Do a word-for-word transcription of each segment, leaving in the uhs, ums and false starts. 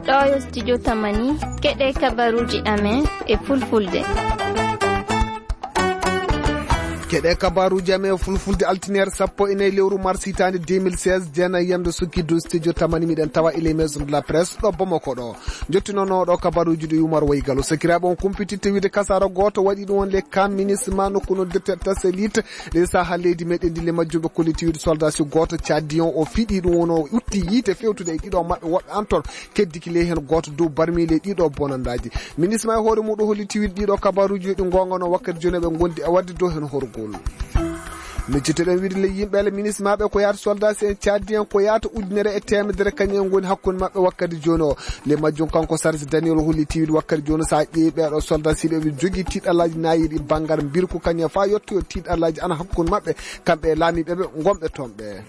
Ɗo yo studio Tamani, keɗe kabaruji amen e fulfulde. Keɗe kabaruji amen e fulfulde, altinere sappo e nayi lewru mars hitaande deux mille seize, jeenayi yamde sukki dow studio Tamani, miɗen tawa e les maisons de la presse ɗo Bamako ɗo. Jottinono ɗo kabaruji ɗi Umar Waygalo. Sakiraaɓe, on kumpititte wiide kasara gooto waɗi ɗum on le camp MINUSMA nokku noddirte Tasalite, le saha leydi meɗen ndi. Le majjum ɓe kolliti wiide soldat si gooto caddion o fiɗi ɗum on, o utti yiite fewtude e ɗiɗo maɓɓe woɓɓe antor, keddiki ley hen gooto dow barmi ley ɗiɗo bonandaji. MINUSMA e hoore muɗum holliti wiide ɗiɗo kabaruji ɗi gongano wakkati joni ɓe gondi e wadde dow hen horgol. Miccitoɗen wiide le yimɓe le MINUSMA ɓe ko yaata soldat si en caddion ko yaata ujunere e temedere kañum en goni hakkunde maɓɓe wakkati joni o. Le majjum kanko Sarsi Daniel holliti wiide wakkati joni sa ƴeewi ɓeɗo soldat si ɓe ɓe jogii tiɗalaji nayiɗi bangal mbirku kañum fa yettoyo tiɗalaji ana hakkunde maɓɓe kamɓe e laamiɓe ɓe gonɓe toon ɓe.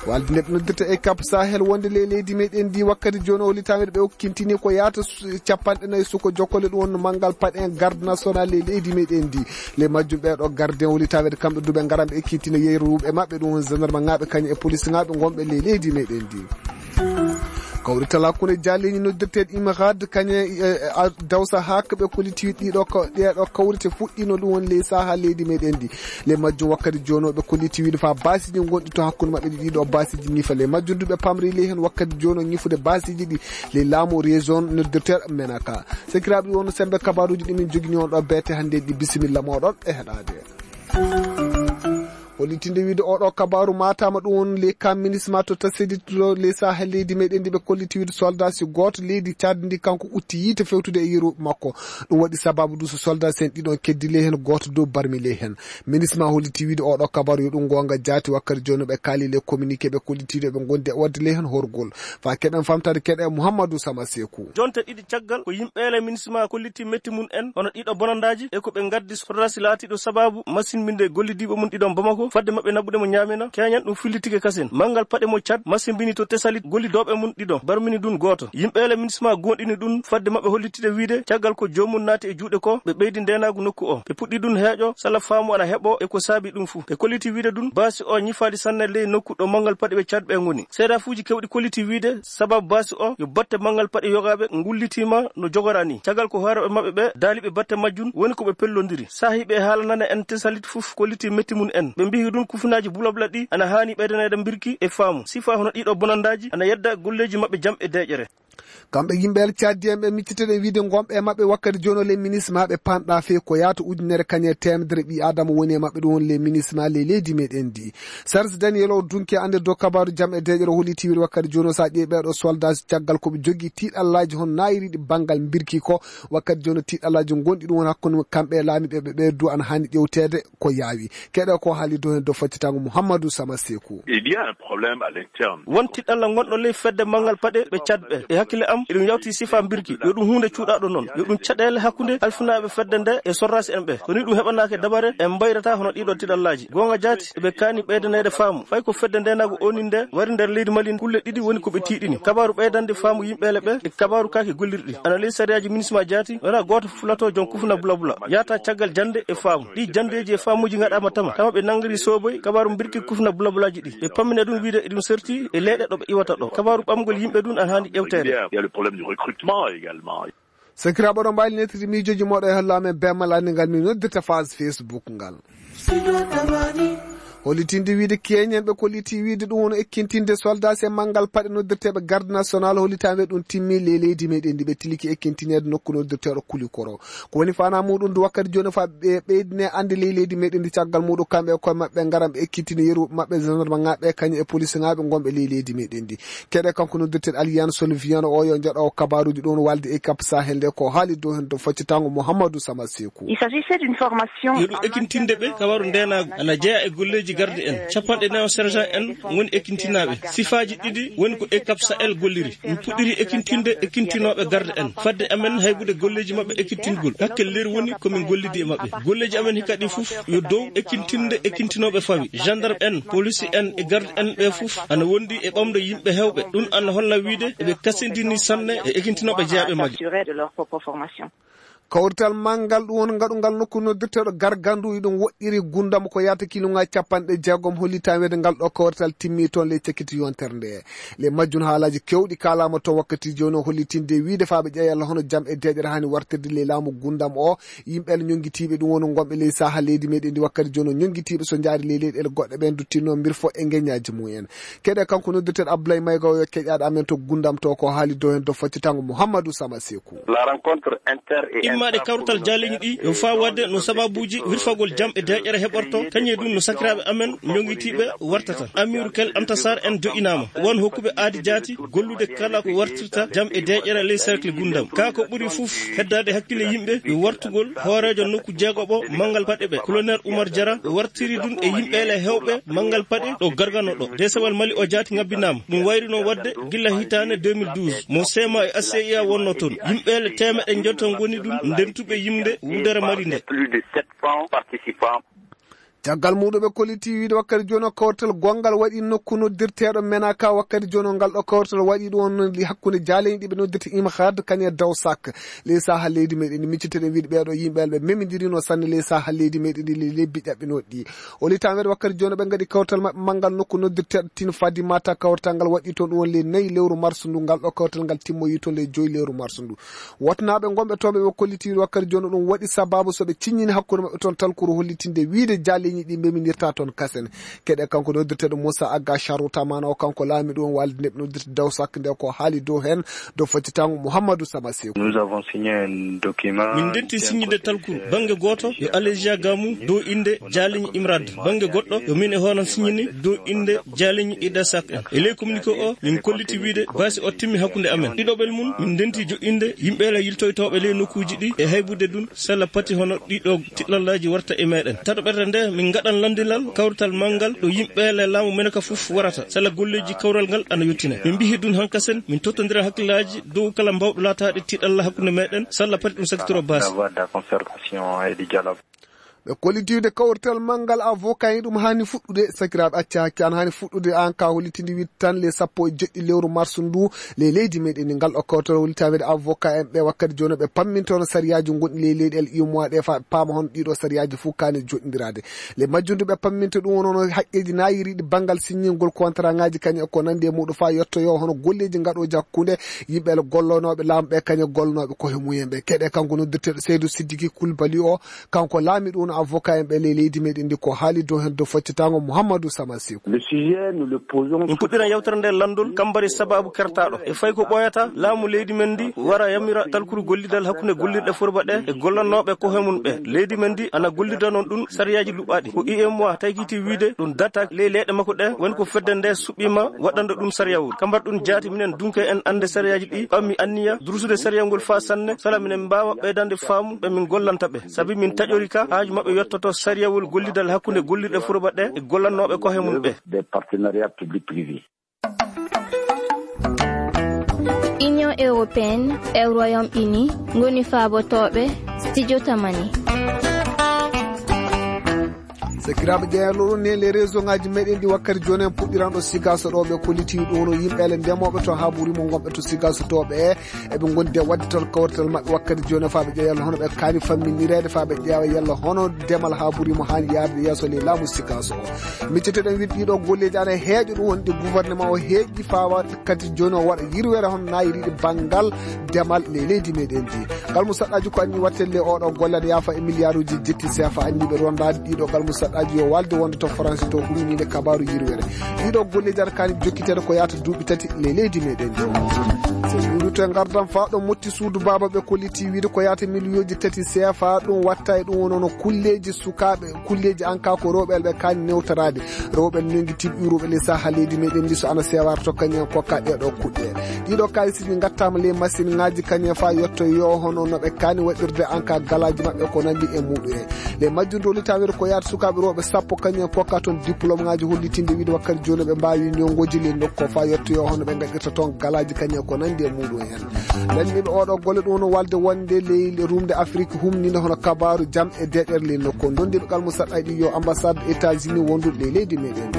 Walde nde ɓe noddirta e Cap Sahel wonde le leydi meɗen ndi wakkati joni o litameɗe ɓe okkintini ko yaata su- capanɗe nayi suko jokkole ɗum wonno manngal paɗe en garde national le leydi meɗen ndi. Le majjum ɓeɗo gardien o litameɗe kamɓe duɓe ngaran ɓe ekkitina yeeruɓe maɓɓe ɗum won gendarme ngaɓe kañum e police ngaɓe gonɓe le leydi meɗen ndi. Kawrital hakkunde jaleñi noddirteɗo Imrad kañe e, e, a- Dawsa Hak ɓe kolliti ɗiɗo ka- ɗeɗo kawrite fuɗɗino ɗum won ley saha leydi meɗen ndi. Le majjum wakkati jono ɓe kolliti wiide fa basiji gonɗi to hakkunde maɓɓe ɗi ɗiɗo basiji ñifa. Le majjum duɓe pamri ley hen wakkati jono ñifude basiji ɗi le laamu région noddirteɗo Menaka. Sakiraaɓe, ɗi wonno sembe kabaruji ɗi min jogini on ɗo bete hannde ɗi, bisimilla moɗon e heɗade. Hollitinde wiide oɗo kabaru matama ɗum won le camp MINUSMA to Tasedit to le saha leydi meɗen ndi ɓe kolliti wiide soldat si goto leydi Tchad ndi kanko utti yiite fewtude e yeru makko. Ɗum waɗi sababu du so soldat sen ɗiɗon keddi ley hen goto dow barmi ley hen. MINUSMA holliti wiide oɗo kabaru yo ɗum gonga jaati wakkati joni ɓe kaali le communiqué ɓe kolliti ɓe gondi e wadde ley hen horgol. Fa keɗen famtade keɗe Mouhamadou Sama Sekou. Jonte ɗiɗi caggal ko yimɓe le MINUSMA kolliti metti mum en hono ɗiɗo bonandaji e ko ɓe gaddi sorrasi laatiɗo sababu masinbinde gollidiiɓe mum ɗiɗon Bamako fadde maɓɓe naɓude mo Ñamena keñan ɗum fillitike kasen. Manngal paɗe mo Tchad masinbini to Tesalit gollidooɓe mum ɗiɗon barmini ɗum gooto. Yimɓe le MINUSMA gonɗini ɗum fadde maɓɓe hollitide wiide caggal ko joomum naati e juuɗe ko ɓe ɓeydi ndenaagu nokku o. Ɓe puɗɗi ɗum heeƴo sala faamu ana heɓo e ko saabi ɗum fuu. Ɓe kolliti wiide ɗum baasi o ñifaali sanne ley nokku ɗo manngal paɗe ɓe Tchad ɓe ngoni. Seedaafuuji kewɗi kolliti wiide sababu baasi o yo batte manngal paɗe yogaaɓe ngullitiima no jogora ni. Caggal ko hooreeɓe maɓɓe ɓe daali ɓe batte majjum woni ko ɓe pellondiri. Saahiiɓe e haalanane en Tesalit fof kolliti metti mum en. Ɓe mbihi ɗum kufunaaji bulabula ɗi ana haani ɓeydaneede mbirki e faamu. Sifa hono ɗiɗo bonandaaji ana yedda golleeji maɓɓe jam e deeƴere. Kamɓe yimɓe El Tchadien ɓe micciteɗen wiide gonɓe e maɓɓe wakkati jono le MINUSMA ɓe panɗa fee ko yaata ujunere kañe e temedere ɓi Adama woni e maɓɓe ɗum woni le MINUSMA le leydi meɗen ndi. Serge Daniel o dunki annde dow kabaru jam e deeƴere holliti wiide wakkati jono sa ƴeewi ɓeɗo soldat caggal koɓe jogii tiiɗallaji hon nayiriɗi bangal mbirki ko wakkati jono tiiɗallaji gonɗi ɗum woni hakkunde kamɓe e laamiɓe ɓe ɓe du ana hani ƴewteede ko yaawi. Keɗe ko haali dow hen dow faccitango Mouhamadou Sama Sekou. Il y a un problème à l'interne. Won tiɗalla gonɗo ley fedde manngal paɗe ɓe Tchad ɓe. E hakkille am, eɗum yawti sifa mbirki. Yo ɗum huunde cuuɗaɗo noon. Yo ɗum caɗeele hakkunde alfinaaɓe fedde nde e sorraasi en ɓe. So ni ɗum heɓanaake dabare, en mbayrata hono ɗiɗo tiɗallaaji. Goonga jaati, eɓe kaani ɓeydaneede faamu. Fay ko fedde ndeenaagu oni nde wari nder leydi Mali, kulle ɗiɗi woni ko ɓe tiiɗini. Kabaaru ɓeydande faamu yimɓeele ɓe e kabaaru kaake gollirɗi. Ana ley sariyaaji MINUSMA jaati, wona gooto fulato joom kufna bulabula. Yaata caggal jannde e faamu. Ɗi janndeeji e faamuuji ngaɗaama tama. Tama ɓe nanngiri sooboy kabaaru mbirki kufna bulabulaaji ɗi. Ɓe pammina ɗum wiide eɗum serti e leyɗe ɗo ɓe iwata ɗo. Kabaaru ɓamgol yimɓe ɗum ana haani ƴewteede. Il y a le problème du recrutement également. Sakiraaɓe, oɗon mbaawi nettude miijooji mooɗon e holla amen bemmal anndi ngal min noddirta phase Facebook ngal. Hollitinde wiide keñen ɓe kolliti wiide ɗum woni ekkintinde soldat e manngal paɗe noddirteeɓe garde national hollitaande ɗum timmi ley leydi meɗen ndi ɓe tiliki ekkintineede nokku noddirteeɗo Kulikoro. Ko woni fana muɗum du wakkati joni fa ɓe ɓeydine annde ley leydi meɗen ndi caggal muɗum kamɓe e koye maɓɓe ngaran ɓe ekkitini yeru maɓɓe gendarme ngaɓe kañum e police ngaɓe gonɓe ley leydi meɗen ndi. Keɗe kanko noddirten Alliance Soliviano o yo jaɗo kabaruji ɗon walde e Cap Sahel nde ko haali dow hen dow faccitango Mouhamadou Sama Sekou. Il s'agissait d'une formation. Yo ɗum ekintinde ɓe kabaru ndenagu ana jeeya e golleji garde en. Capanɗe nayo sergent en ngoni ekintinaaɓe. Sifaaji ɗiɗi woni ko e Cap Sahel golliri. Min puɗɗiri ekintinde ekintinooɓe garde en. Fadde amen haybude golleji maɓɓe ekintingol. Hakke leer woni ko min gollidi e maɓɓe. Golleji amen hikka ɗi fof yo dow ekintinde ekintinooɓe fawi. Gendarme en, police en e garde en ɓe fof ana wondi e ɓamde yimɓe hewɓe. Ɗum ana holla wiide eɓe kasindini sanne e ekintinooɓe jeeyaɓe majje. Assuré de leur propre formation. Kawrital manngal ɗum woni ngaɗungal nokku noddirteeɗo Gargandu, iɗum woɗɗiri Gundam ko yahata kiilooji capanɗe jeegom, holli tan wiyde ngal ɗo kawrital timmi toon ley cakkitii yontere nde. Ley majjum haalaaji keewɗi kaalaama toon wakkati jooni o, hollitinde wiyde faa ɓe ƴeewa yalla hono jam e deeƴere haani wartirde ley laamu Gundam o. Yimɓe ñonngitiiɓe ɗum woni ngonɓe ley sahaa leydi meɗen ndi wakkati jooni o, ñonngitiiɓe so njaari ley leyɗeele goɗɗe ɓen duttinoo mbirfo e ngeñaaji mum en. Keɗe kanko noddirteeɗo Abdoulaye Mayga o, yo keƴaaɗo amen to Gundam to ko haali dow heen dow faccitango Mouhamadou Sama Sekou. La rencontre inter et Immaaɗe intra kawrital jaaleeñi ɗi yo faa waɗde no sababuuji wirfagol jam e deeƴere heɓorto, kañum e ɗum no sakiraaɓe amen ñonngitiiɓe wartata. Amiru Kel Anta Sarr en joƴƴinaama. Won hokkuɓe aadi jaati gollude kala ko wartirta jam e deeƴere ley cercle Gundam. Kaa ko ɓuri fof heddaade hakkille yimɓe yo wartugol hooreejo nokku jeegoɓo manngal paɗe ɓe, Colonel Oumar Diarra, wartiri ɗum e yimɓeele heewɓe manngal paɗe ɗo Gargano ɗo. Deesewal Mali o jaati ngabbinaama. Ɗum wayri noon waɗde gila hitaande deux mille douze, mo C M A e A C I A wonnoo toon. Yimɓeele teemeɗɗe njonta ngoni ɗum ndentuɓe yimde wudere Mali nde. Plus de sept cents participants. Caggal muɗum ɓe kolliti wiide wakkati jooni o kawrital gonngal waɗi nokku noddirteeɗo Menaka. Wakkati jooni o ngal ɗo kawrital waɗi ɗum on hakkunde jaaleeñi ɗi ɓe noddirta Imhad kañum e Dawsak. Ley sahaa leydi meɗen ndi, micciteɗen wiide ɓeeɗo yimɓe ɓe memindirino sanne ley sahaa leydi meɗen ndi, ley lebbi ƴaɓɓinooɗi ɗi. O litaa weeɗe wakkati jooni ɓe ngaɗi kawrital maɓɓe manngal nokku noddirteeɗo Tin Fadimata. Kawrital ngal waɗi toon ɗum woni ley nayi lewru marsu ndu, ngal ɗo kawrital ngal timmoyi toon ley joyi lewru marsu ndu. Wotnaaɓe ngonɓe toon ɓe kolliti wakkati jooni ɗum waɗi sababu so ɓe ciññini hakkunde maɓɓe toon talkuru hollitinde wiide jaaleeñi ɗi meminirta toon kasen. Keɗe kanko noddirteeɗo Moussa Agga Sharuta mana o kanko laamiɗo on walde nde ɓe noddirta Dawsak nde ko haali dow heen dow faccitango Mouhamadou Sama Sekou. Nous avons signé un document. Min ndenti siññinde talkuru bannge gooto yo Alésia Gamou dow innde Jaaliñ Imrad, bannge goɗɗo yo min e hooram siññini dow innde Jaaliñ Ida Sak en. E ley communiqué o min kolliti wiide baasi o timmi hakkunde amen. Ɗiɗoɓel mum min ndenti joƴƴinde yimɓe le yiltoytooɓe ley nokkuuji ɗi e haybude ɗum sella pati hono ɗiɗo tiɗallaaji warta e meɗen. Tatoɓerde nde min ngaɗan lanndinal kawrital manngal ɗo yimɓe le laamu men ka fof warata sella golleeji kawral ngal ana yottina. Min mbihi ɗum hankasen min tottondira hakkillaaji dow kala mbawɗo laataade tiɗalla hakkunde meɗen sella pati ɗum sakitoro baasi. D'avoir de la concertation et du dialogue. Ɓe kollitiiɓe kawrital manngal avocat en ɗum haani fuɗɗude, sakiraaɓe acca hakke an haani fuɗɗude an ka hollitinde wiide tan le sappo e jeɗɗi lewru marsu ndu le leydi meɗen ndi ngal ɗo kawrital hollita wiide avocat en ɓe wakkati jooni ɓe pammintono sariyaaji gonɗi le leyɗe el imoa ɗe faa ɓe paama hono ɗiɗo sariyaaji fof kaani joɗɗindiraade. Le majjum ndu ɓe pamminta ɗum wonono haqqeeji naayiriiɗi banngal siññingol contrat ŋaaji kañum e ko nanndi e muɗum faa yettoyo hono golleeji ngaɗooji hakkunde yimɓe le gollonooɓe laamu ɓe kañum e gollonooɓe koye mumen ɓe. Keɗe kanko noddirteeɗo Seydou Sidiki Koulibaly o, kanko laamiɗo woni avocat en ɓe ley leydi meɗen ndi ko haali dow heen dow faccitango Mouhamadou Sama Sekou. Le sujet, nous le posons. Min puɗɗiran yewtere nde lanndol kambari sababu kertaaɗo. E fayi ko ɓooyata laamu leydi men ndi wara yamira talkuru gollidal hakkunde gollirɗe furba ɗe e gollannooɓe kohe mum ɓe. Leydi men ndi ana gollida noon ɗum sariyaaji luɓaaɗi. Ko imoa taykiti wiide ɗum data ley leyɗe makko ɗe woni ko fedde nde suɓɓiima waɗande ɗum sariyawol. Kambar ɗum jaati minen dunke en annde sariyaaji ɗi ɓammi anniya durusude sariyawol faa sanne sala minen mbaawa ɓeydande faamu ɓe min gollanta ɓe. Sabi min taƴori ka haaju maɓɓe yottoto sariyawol gollidal hakkunde gollirɗe furba ɗe e gollannooɓe kohe mum ɓe. Des partenariats public-privé. Union européenne e Royaume-Uni ngoni faabotooɓe Studio Tamani. Sakiraaɓe ƴeeñal ɗo ɗum ne les réseau ngaji meɗen ɗi wakkati jooni en puɗɗiranɗo sigaso ɗo ɓe kolliti ɗum no yimɓe ele ndemooɓe to haa ɓuri mo gonɓe to sigaso to ɓe eɓe ngondi e waɗde toon kawrital maɓɓe wakkati jooni faa ɓe ƴeewa yalla hono ɓe kaani famminireede faa ɓe ƴeewa yalla hono demal haa ɓuri mo haani yaade yeeso ley laamu sigaso o. Miccitoɗen wiide ɗiɗo golleeji ana heeƴo ɗum wonde gouvernement o heeƴi faa waɗa kadi jooni o waɗa yirwere hono naayiriiɗe banngal demal ley leydi meɗen ndi. Ngal mo saɗɗaaji ko anni wattelle oɗo golle ana yaafa e milliarduji jetti seefa anniɓe rondaade ɗiɗo ngal mo saɗɗaaji yo walde wonde to France to huminiinde kabaaru yirwere. Ɗiɗo golleeji ana kaani jokkiteede ko yaata duuɓi tati ley leydi meɗen ndi. So ɗuuɗu to e ngardan faa ɗo motti suudu baaba ɓe kolliti wiide ko yaata miliyoji tati seefa ɗum watta e ɗum woni hono kulleeji sukaaɓe, kulleeji an ka ko rewɓe ɓe kaani newtoraade. Rewɓe nongi tiɓɓiruɓe ley saha leydi meɗen ndi so ana sewara to kañum en kokka ɗeɗo kuɗɗe. Ɗiɗo kalisiji gattama ley machine ngaji kañum en fa yetto yo hono no ɓe kaani waɗirde an ka galaji maɓɓe ko nandi e muɗum en. Ley majjum dowlitawere ko yaata sukaɓe rewɓe sappo kañum en kokka toon diplôme ngaji hollitinde wiide wakkati joni ɓe mbawi ñongoji ley nokku fa yetto yo hono ɓe gaɗirta toon galaji kañum en ko nandi e muɗum en. Lanniɓe oɗo golle ɗum no walde wonde ley rumde Afrique humninde hono kabaru jam e deƴere ley nokku. Dondiɓe kala mo saɗɗa ɗi yo ambassade États-Unis wondude ley leydi meɗen.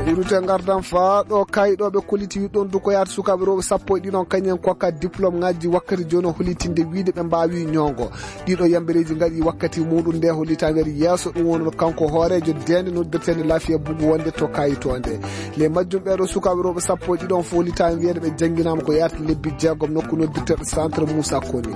Urute ngardan faa ɗo kaayiɗooɓe kolliti ɗon du ko yaata sukaaɓe rewɓe sappo e ɗiɗon kañen kokka diplôme ŋaaji wakkati jooni, hollitinde wiide ɓe mbaawi ñoongo. Ɗiɗo yambereeji ngaɗi wakkati muɗum nde hollitaangeere yeeso, ɗum woni kanko hooreejo deende noddirteende Lafiya Bugu wonde to kaayitoonde. Le majjum ɓeeɗo sukaaɓe rewɓe sappo e ɗiɗon fof hollitaangeere ɓe jannginaama ko yaata lebbi jeegom nokku noddirteeɗo Centre Moussa Koni.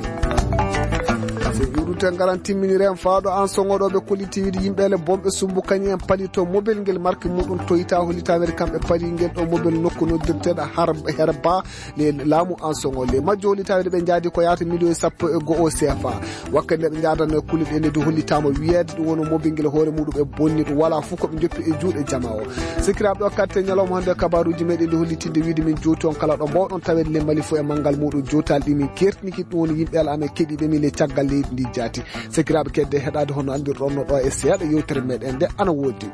Affaire juuɗute ngaran timminire en faa ɗo an soŋoɗooɓe kolliti wiide yimɓe le bomɓe sumbu kañum en palito mobile ngel marque muɗum Toyota hollitaangeere kamɓe pari ngel ɗo mobile nokku noddirteeɗo har herba le laamu an soŋo. Le majjo hollitaangeere ɓe njaadi ko yaata miliyoŋ sappo e go'o C F A. Wakkati nde ɓe njaadanno e kulle ɗe nde du hollitaama wiyeede ɗum woni mobile ngel hoore muɗum e bonni ɗum wala fof ko ɓe njoppi e juuɗe jama o. Sikiraaɓe ɗo katte ñalawma hannde kabaruuji meɗen ɗi hollitinde wiide min jowti on kala ɗo mbawɗon taweede le Mali fof e manngal muɗum jowtaali ɗi min kertiniki ɗum woni yimɓe ala amen keɗiiɓe min le caggal leydi ndi jaati. Sikiraaɓe kedde heɗaade hono anndirɗon no ɗo e seeɗa yewtere meɗen nde ana woodi.